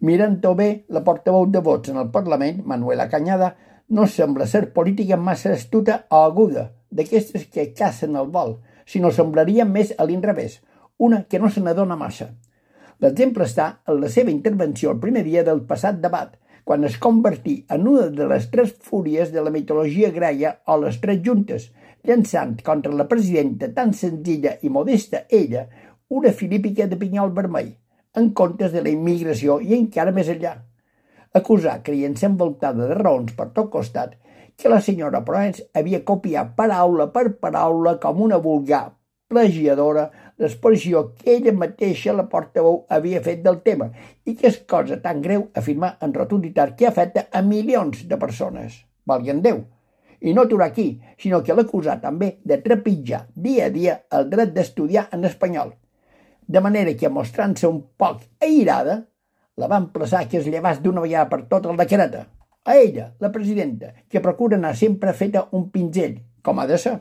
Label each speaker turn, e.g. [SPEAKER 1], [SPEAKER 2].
[SPEAKER 1] Mirant-ho bé, la portaveu de Vox en el Parlament, Manuela Cañada, no sembla ser política massa astuta o aguda, d'aquestes que cacen el vol, sinó semblaria més a l'inrevés, una que no se n'adona massa. L'exemple està en la seva intervenció el primer dia del passat debat, quan es convertí en una de les tres fúries de la mitologia grega o les tres juntes, llançant contra la presidenta tan senzilla i modesta ella una filípica de pinyol vermell, en comptes de la immigració i encara més enllà. Acusar, creient-se envoltada de raons per tot costat, que la senyora Proens havia copiat paraula per paraula com una vulgar plagiadora l'exposició que ella mateixa, la portaveu, havia fet del tema i que és cosa tan greu afirmar en rotunditat que afecta a milions de persones. Valgui en Déu! I no aturar aquí, sinó que l'acusar també de trepitjar dia a dia el dret d'estudiar en espanyol. De manera que, mostrant-se un poc airada, la va emplaçar que es llevés d'una vegada per tot el decret. A ella, la presidenta, que procura anar sempre feta un pinzell, com ha de ser.